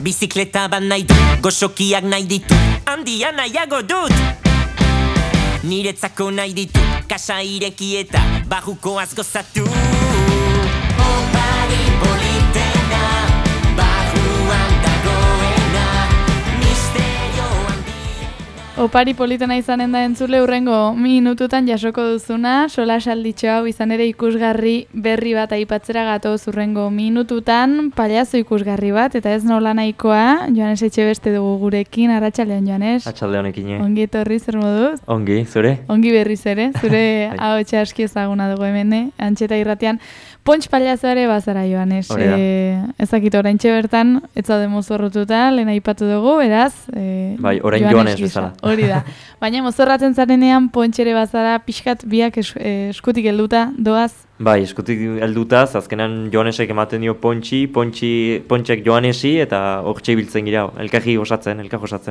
Bizikleta bat nahi dut, goxokiak nahi ditut, handia nahiago dut. Niretzako nahi ditut, kasa ireki eta barrukoaz gozatu. Opari politena, barruan dagoena, misterio handiena. Opari politena izanen da entzule hurrengo minututan jasoko duzuna, solasalditxo hau izan ere ikusgarri berri bat aipatzera gatoz hurrengo minututan, paliazo ikusgarri bat, eta ez nola nahikoa, Joanes Etxebeste dugu gurekin, arratsaldeon Joanes. Atxaldeonekin. Ongi etorri, zer moduz? Ongi, zure? Ongi berriz ere, zure ahotsa aski ezaguna dugu hemen, Antxeta irratian. Pontx paliazo ere bazara, Joanes. Ezakit oraintxe bertan, ez zaude mozorrotuta, lehen aipatu dugu, beraz... Bai, orain Joanes bezala. Hori da. Baina mozorratzen zarenean, Pontx ere bazara, pixkat biak eskutik helduta, doaz? Bai, eskutik heldutaz, azkenan Joanesek ematen dio Pontxek Joanesi, eta hortxe ibiltzen gira, elkar osatzen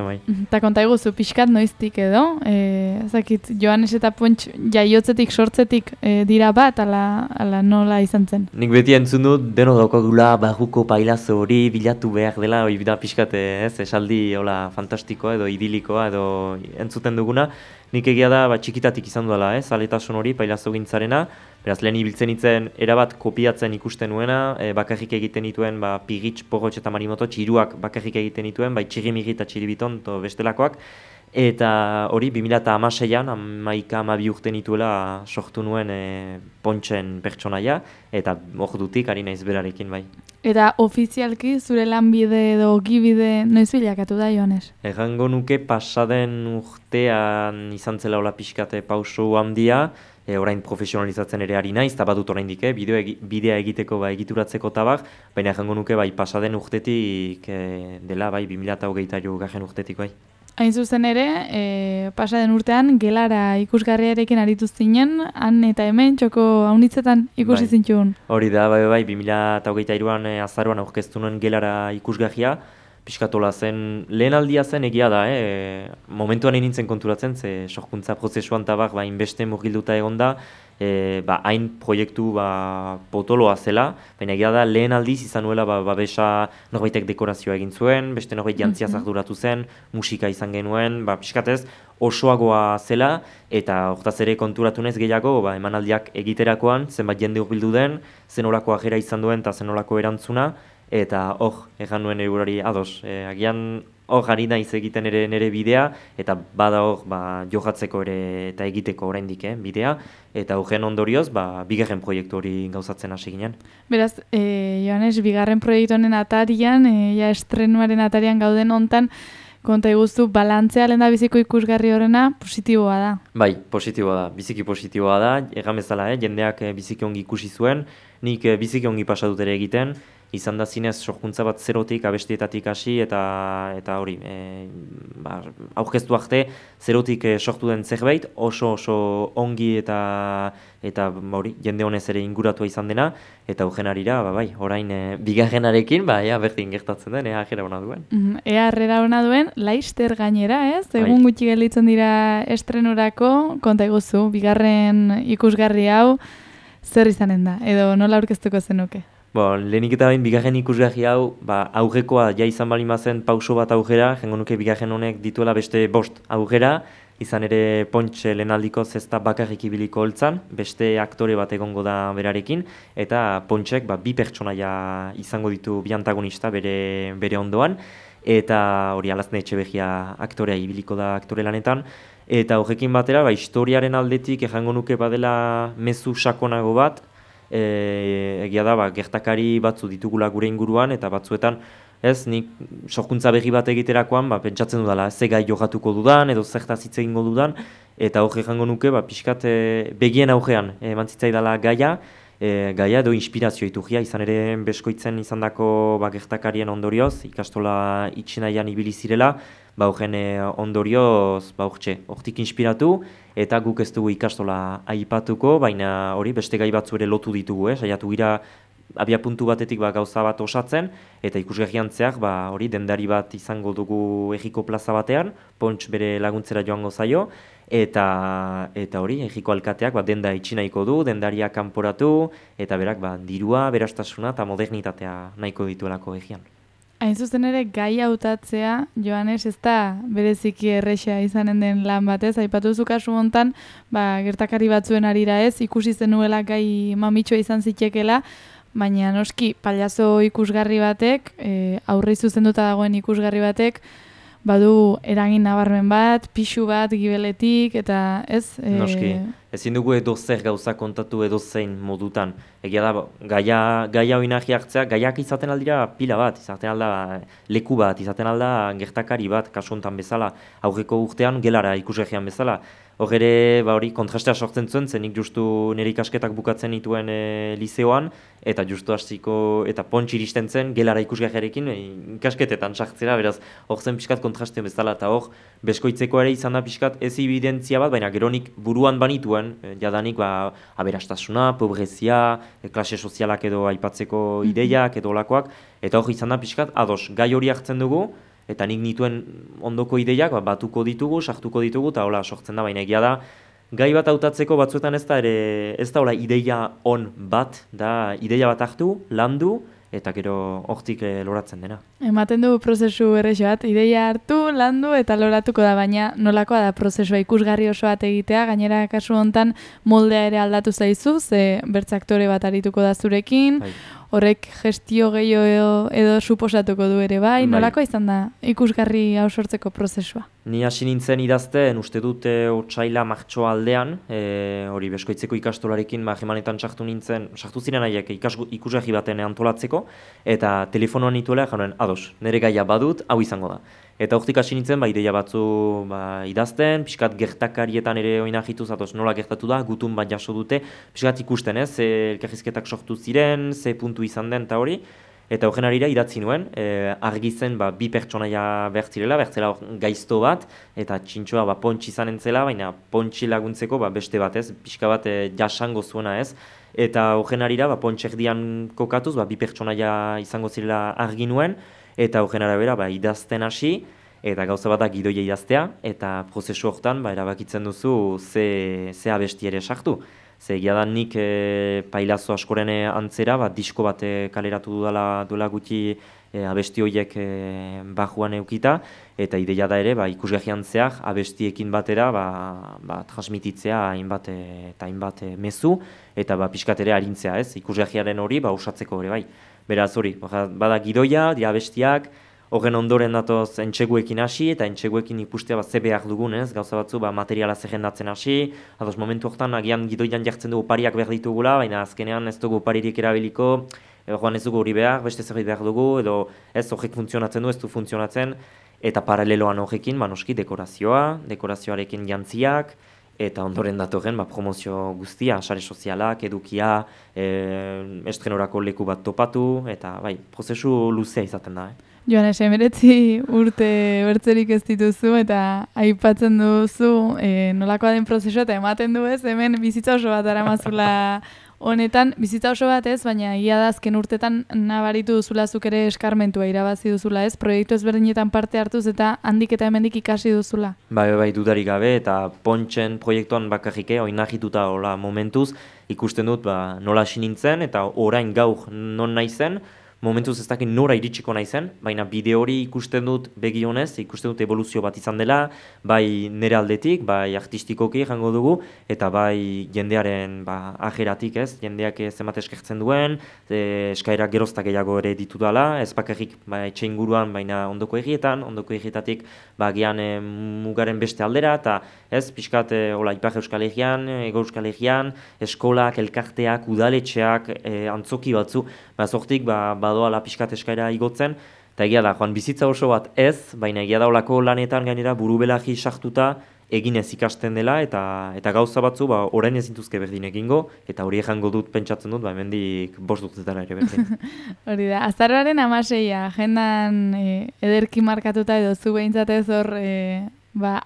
bai. Eta konta iguzu, pixkat noiztik edo, ezakit, Joanes eta Pontx jaiotzetik, sortzetik dira bat, ala nola izan zen? Nik beti entzun dut, deno daukagula barruko pailazo hori bilatu behar dela, hori da pixkat, esaldi hola fantastikoa edo idilikoa edo entzuten duguna. Nik egia da txikitatik izan duela, zaletasun hori pailazo gintzarena, beraz lehen ibiltzen itzen erabat kopiatzen ikusten nuena, bakarrik egiten dituen Pigitx, Porrotx eta Marimototx hiruak bakarrik egiten dituen, bai Txirrimiri eta Txiribiton eta bestelakoak, eta hori 2016an, 11-12 urte nituela sortu nuen Pontxen pertsonaia, eta ordutik ari naiz berarekin bai. Eta ofizialki zure lanbide edo ogibide noiz bilakatu da, Joanes? Errango nuke pasaden urtean izan zela hola pixkate pauso handia, orain profesionalizatzen ere ari naiz, eta badut oraindik, bidea egiteko egituratzeko tabak, baina errango nuke pasaden urtetik dela 2023 garren urtetik bai. Hain zuzen ere, pasaden urtean gelara ikusgarriarekin aritu zinen, han eta hemen txoko haunitzetan ikusi zintxun. Hori da, bai, 2023an azaroan aurkeztu nuen gelara ikusgarria, pixkatola zen, lehen aldia zen egia da, momentuan nintzen konturatzen, ze sorkuntza prozesuan tabak inbeste murgilduta egon da, hain proiektu potoloa zela, baina egia da lehen aldiz izan nuela babesa norbaitek dekorazioa egin zuen, beste norbait jantziaz arduratu zen, musika izan genuen, pixkatez osoagoa zela, eta hortaz ere konturatu naiz gehiago, emanaldiak egiterakoan, zenbat jende hurbildu den, zenolako ajera izan duen eta zenolako erantzuna, eta hor, egan nuen eurari ados. Agian hor ari naiz egiten ere nire bidea, eta bada hor jokatzeko ere eta egiteko oraindik bidea, eta horren ondorioz, bigarren proiektu hori gauzatzen hasi ginen. Beraz, Joanes, bigarren proiektu honen atarian, estrenuaren atarian gauden hontan, konta iguzu, balantzea lehen da biziko ikusgarri horrena positiboa da. Bai, positiboa da, biziki positiboa da, egan bezala, jendeak biziki ongi ikusi zuen, nik biziki ongi pasatut ere egiten, izan da zinez sorkuntza bat zerotik, abestietatik hasi, eta hori, aurkeztu arte, zerotik sortu den zerbait, oso ongi eta hori, jende honez ere inguratua izan dena, eta horren arira, orain bigarrenarekin, berdin gertatzen den, ea harrera hona duen. Ea harrera hona duen, laister gainera, ez? Egun gutxi gelditzen dira estrenurako, konta iguzu, bigarren ikusgarri hau, zer izanen da, edo nola aurkeztuko zenuke? Lehenik eta bigarren ikusgarri hau, aurrekoa izan bali mazen pauso bat aurrera, jengo nuke bigarren honek dituela beste 5 aurrera, izan ere Pontx lehenaldiko zesta bakarrik ibiliko holtzan, beste aktore bat egongo da berarekin, eta Pontxek 2 pertsonaia izango ditu bi antagonista bere ondoan, eta hori Alazne Etxeberria aktorea ibiliko da aktore lanetan, eta horrekin batera, historiaren aldetik ejango nuke badela mezu sakonago bat, egia da, gertakari batzu ditugula gure inguruan, eta batzuetan, nik sorkuntza berri bat egiterakoan, pentsatzen dudala, ze gai jokatuko dudan, edo zertaz hitz egingo dudan, eta hor ejango nuke, pixkat begien aurrean, emantzitzaidala gaia edo inspirazio iturria, izan ere beskoitzen izandako gertakarien ondorioz, ikastola itxinaian ibili zirela, horren ondorioz, hortik inspiratu, eta guk ez dugu ikastola aipatuko, baina hori beste gai batzu ere lotu ditugu, saiatu gira abia puntu batetik gauza bat osatzen, eta ikusgarrian zehar hori dendari bat izango dugu Ejiko plaza batean, Pontx bere laguntzera joango zaio, eta hori Ejiko alkateak denda itxi nahiko du, dendaria kanporatu, eta berak dirua, berastasuna eta modernitatea nahiko dituelako egian. Hain zuzen ere, gai hautatzea, Joanes, ez da bereziki erresa izanen den lan batez, aipatu duzu kasu hontan, gertakari batzuen arira ez, ikusi zenuela gai mamitxoa izan zitekela, baina noski, pailazo ikusgarri batek, aurre zuzenduta dagoen ikusgarri batek, badu eragin nabarmen bat, pixu bat, gibeletik, eta ez... Noski, ezin dugu edozer gauza kontatu edozein modutan. Egia da, gaia oinarri hartzea, gaiak izaten aldira pila bat, izaten alda leku bat, izaten alda gertakari bat, kasu honetan bezala, aurreko urtean gelara ikusgarrian bezala. Hor ere, hori kontrastea sortzen zuen, zenik justu nire ikasketak bukatzen nituen lizeoan, eta justu hasiko eta pontx iristen zen gelara ikusgarriarekin ikasketetan sartzera, beraz, hor zen pixkat kontraste bezala, eta hor, beskoitzeko ere izan da pixkat ez evidentzia bat, baina geronik buruan banituen, jadanik aberastasuna, pobrezia, klase sozialak edo aipatzeko ideiak edo olakoak, eta hor izan da pixkat, ados, gai hori hartzen dugu, eta nik nituen ondoko ideiak batuko ditugu, sartuko ditugu, eta hola sortzen da, baina egia da, gai bat hautatzeko batzuetan ez da hola ideia on bat, da ideia bat hartu, landu, eta gero hortik loratzen dena. Ematen du prozesu errexo bat, ideia hartu, landu eta loratuko da, baina nolakoa da prozesua ikusgarri oso bat egitea, gainera kasu hontan moldea ere aldatu zaizu, ze bertze aktore bat arituko da zurekin, horrek gestio gehiago edo suposatuko du ere bai, nolakoa izan da ikusgarri hau sortzeko prozesua? Ni hasi nintzen idazten, uste dut otsaila martxoa aldean, hori beskoitzeko ikastolarekin jemanetan sartu ziren haiek ikusgarri baten antolatzeko, eta telefonoan nituela jauen, ados, nire gaia badut, hau izango da. Eta hortik hasi nintzen, ideia batzu idazten, pixkat gertakarietan ere oinarrituz, nola gertatu da, gutun bat jaso dute, pixkat ikusten ez, elkarrizketak sortu ziren, ze puntu izan den eta hori, eta horren arira idatzi nuen, argi zen bi pertsonaia bertzirela gaizto bat, eta txintxoa pontx izan entzela, baina pontxi laguntzeko beste bat ez, pixka bat jasango zuena ez, eta horren arira pontx erdian kokatuz, bi pertsonaia izango zirela argi nuen, eta horren arabera idazten hasi, eta gauza bat da gidoia idaztea, eta prozesu horretan erabakitzen duzu ze abesti ere sartu. Ze egia da nik pailazo askoren antzera, disko bat kaleratu duela gutxi abesti horiek bajuan eukita, eta ideia da ere ikusgarrian zehar abestiekin batera transmititzea hainbat mezu, eta pixkat ere arintzea ez, ikusgarriaren hori osatzeko ere bai. Beraz hori, bada gidoia, dira abestiak, horren ondoren datoz entxeguekin hasi, eta entxeguekin ikustea ze behar dugun, ez? Gauza batzu materiala zerrendatzen hasi, ados momentu horretan agian gidoian jartzen dugu opariak behar ditugula, baina azkenean ez dugu oparirik erabiliko, joan ez dugu hori behar, beste zerbait behar dugu, edo ez horrek funtzionatzen du, ez du funtzionatzen, eta paraleloan horrekin, noski dekorazioarekin jantziak, eta ondoren datorren promozio guztia, sare sozialak, edukia, estrenorako leku bat topatu, eta prozesu luzea izaten da. Joanes, 19 urte bertzerik ez dituzu eta aipatzen duzu nolakoa den prozesua eta ematen du ez, hemen bizitza oso bat daramazula honetan, bizitza oso bat ez, baina egia da azken urtetan nabaritu duzula zuk ere eskarmentua irabazi duzula ez, proiektu ezberdinetan parte hartuz eta handik eta hemendik ikasi duzula. Bai, dudarik gabe eta pontxen proiektuan bakarrik oinarrituta hola momentuz ikusten dut nola hasi nintzen eta orain gaur non naizen, momentuz ez dakit nora iritsiko naizen, baina bide hori ikusten dut begionez, ikusten dut evoluzio bat izan dela, bai nire aldetik, bai artistikoki jango dugu, eta bai jendearen ajeratik ez, jendeak zenbat eskertzen duen, eskaerak geroztak gehiago ere ditu dela, ez bakarrik etxe inguruan, baina ondoko egietatik gian mugaren beste aldera, eta ez pixkat Ipar Euskal Herrian, Ego Euskal Herrian, eskolak, elkarteak, udaletxeak, antzoki batzu, zortik badoala pixkat eskaera igotzen, eta egia da, joan bizitza oso bat ez, baina egia da olako lanetan gainera burubelagi sartuta eginez ikasten dela, eta gauza batzu orain ezintuzke berdin egingo, eta hori jango dut pentsatzen dut, hemendik 5 urtetara ere berdin. Hori da, azaroaren 16, agendan ederki markatuta edo zu behintzatez hor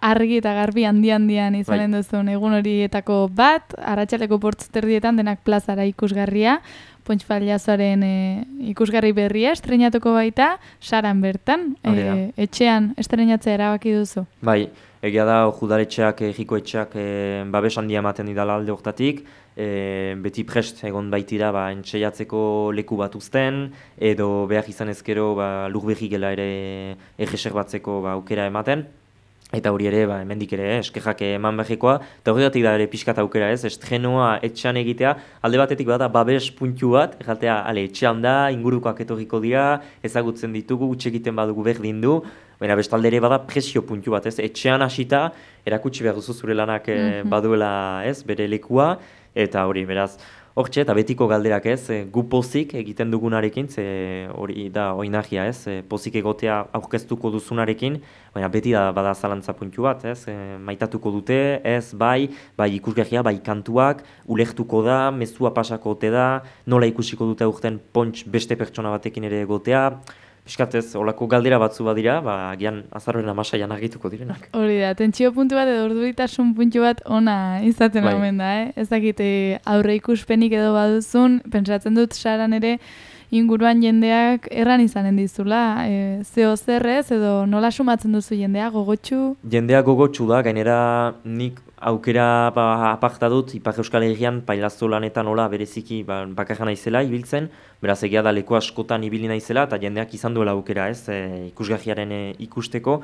argi eta garbi handian izanen duzun egun horietako bat, arratsaleko 8:00 denak plazara ikusgarria, Pontx Pailazoaren ikusgarri berria estreinatuko baita, Saran bertan, etxean estreinatzea erabaki duzu. Bai, egia da, judaletxeak, jikoetxeak babes handia ematen didala alde hortatik, beti prest egon baitira entxeiatzeko leku bat uzten, edo behar izan ezkero lur berri gela ere erreserbatzeko aukera ematen. Eta hori ere, hemendik ere, eskejak eman behikoa, eta horregatik da ere pixkat aukera ez, estrenoa etxean egitea, alde batetik bada babes puntu bat, erratea, etxean da, ingurukoak etorriko dira, ezagutzen ditugu, utxe egiten badugu berdin du, baina bestalde ere bada presio puntu bat ez, etxean hasita, erakutsi behar duzu zure lanak baduela ez, bere lekua, eta hori, beraz, hortxe, eta betiko galderak ez, gu pozik egiten dugunarekin, ze hori da oinahia ez, pozik egotea aurkeztuko duzunarekin, baina beti da bada zalantza puntu bat, ez, maitatuko dute, ez, bai ikusgarria, bai kantuak, ulertuko da, mezua pasako ote da, nola ikusiko dute aurten pontx beste pertsona batekin ere egotea, Piskatez, olako galdera batzu badira, agian azaroren 16an argituko direnak. Hori da, tentsio puntu bat edo urduritasun puntu bat ona izaten omen da, Ez dakit aurre ikuspenik edo baduzun, pentsatzen dut saran ere inguruan jendeak erran izanen dizula, zeo zerrez edo nola sumatzen duzu jendea, gogotsu? Jendea gogotsu da, gainera nik aukera aparta dut, Ipar Euskal Herrian pailazzo lanetan nola bereziki bakarra naizela ibiltzen, beraz egia da leku askotan ibili naizela eta jendeak izan duela aukera ez, ikusgarriaren ikusteko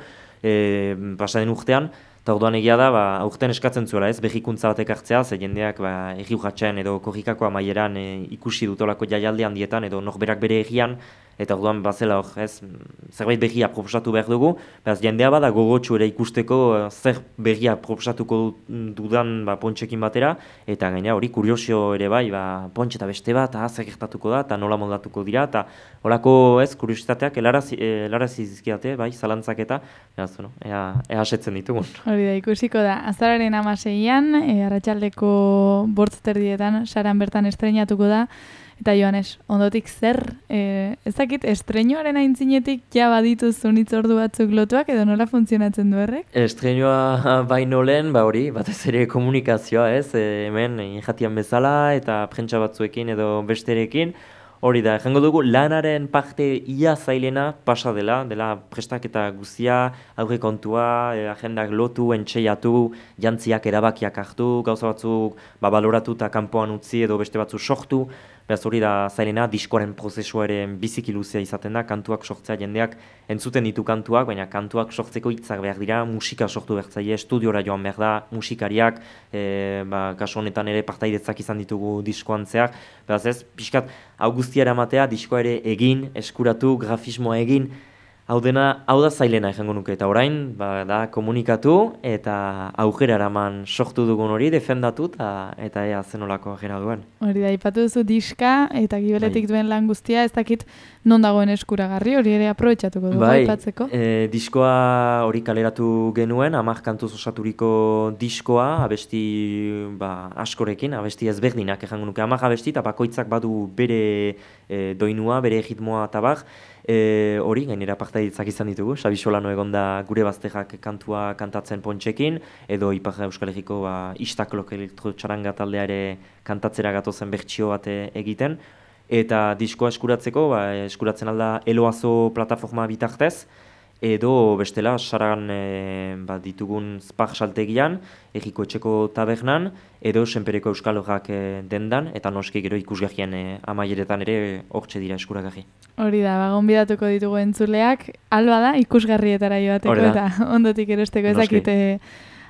pasaden urtean, eta orduan egia da aurten eskatzen zuela ez, berrikuntza batek hartzea, ze jendeak erri urratxean edo korrikako amaieran ikusi dutolako jaialde handietan edo norberak bere errian, eta orduan bazela hor, ez, zerbait berria proposatu behar dugu, beraz jendea bada gogotsu ere ikusteko zer berria proposatuko dudan pontxekin batera, eta gaina hori kuriosio ere bai, pontxe eta beste bat, zer gertatuko da, eta nola moldatuko dira, eta horako ez, kuriositateak helarazi dizkiate, bai, zalantzak eta, beraz, ea asetzen ditugun. Hori da, ikusiko da, azararen 16an, arratsaldeko 8:00 saran bertan estreinatuko da, eta Joanes, ondotik zer, ez dakit, estreinoaren aintzinetik ja badituzun hitzordu batzuk lotuak edo nola funtzionatzen du horrek? Estreinoa baino lehen, hori, batez ere komunikazioa ez, hemen jatian bezala eta prentsa batzuekin edo besterekin, hori da, jango dugu lanaren parte ia zailena pasa dela prestaketa guzia, aurrekontua, agendak lotu, entxeiatu, jantziak erabakiak hartu, gauza batzuk baloratu eta kanpoan utzi edo beste batzu sortu, beraz hori da zailena, diskoaren prozesua ere biziki luzea izaten da, kantuak sortzea jendeak entzuten ditu kantuak, baina kantuak sortzeko hitzak behar dira, musika sortu behar zaie, estudiora joan behar da, musikariak, kasu honetan ere partaidetzak izan ditugu diskoan zehar, beraz ez, pixkat, hau guztia eramatea, diskoa ere egin, eskuratu, grafismoa egin, hau da zailena ejango nuke, eta orain, da komunikatu, eta aukera eraman sortu dugun hori, defendatu, eta ea zenolako aukera duen. Hori da, ipatu duzu diska, eta gibeletik duen lan guztia, ez dakit non dagoen eskuragarri, hori ere aprobetxatuko dugu, aipatzeko. Diskoa hori kaleratu genuen, 10 kantuz osaturiko diskoa, abesti askorekin, abesti ezberdinak ejango nuke, 10 abesti, eta bakoitzak badu bere doinua, bere ritmoa eta bar, hori, gainera partaidetzak izan ditugu, Xabi Solano egonda gure bazterrak kantua kantatzen pontxekin, edo Ipar Euskal Herriko Istaklok elektrotxaranga taldea ere kantatzera gatozen bertsio bat egiten, eta diskoa eskuratzeko, eskuratzen alda Eloazo plataforma bitartez, edo bestela saran ditugun Spark saltegian, Erriko Etxeko tabernan, edo Senpereko Euskal Horrak dendan, eta noski gero ikusgarrien amaieretan ere hortxe dira eskuragarri. Hori da, gonbidatuko ditugu entzuleak, alba da ikusgarrietara joateko eta ondotik erosteko ezakite.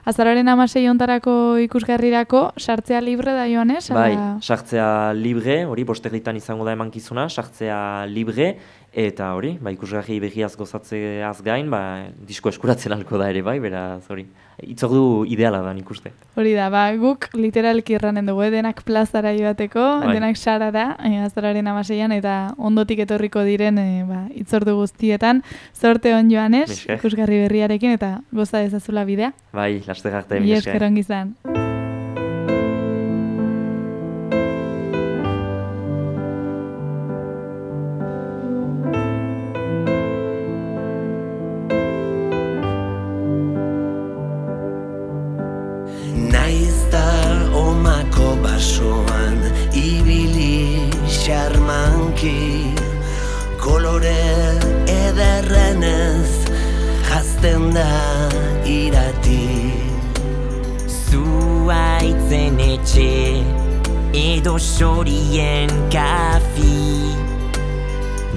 Azararen 16 hontarako ikusgarrirako, sartzea libre da Joanes? Bai, sartzea libre, hori bosterritan izango da emankizuna, sartzea libre, eta hori, ikusgarri begiaz gozatzeaz gain, disko eskuratzen alko da ere bai, beraz hori, itzordu ideala da nik uste. Hori da, guk literalki erranen dugu, denak plazara joateko, denak sarara, azararen 16an, eta ondotik etorriko diren itzordu guztietan, zorte hon Joanes, ikusgarri berriarekin, eta goza dezazula bidea. Bai, laster arte, mi esker ongi izan. Basoan ibili xarmanki, kolore ederrenez jazten da irati. Zuaitzen etxe edo sorien kafi.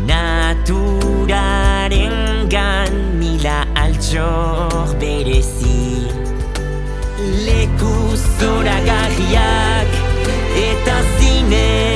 Naturarengan mila altxor berezi. Leku zoragarriak eta zine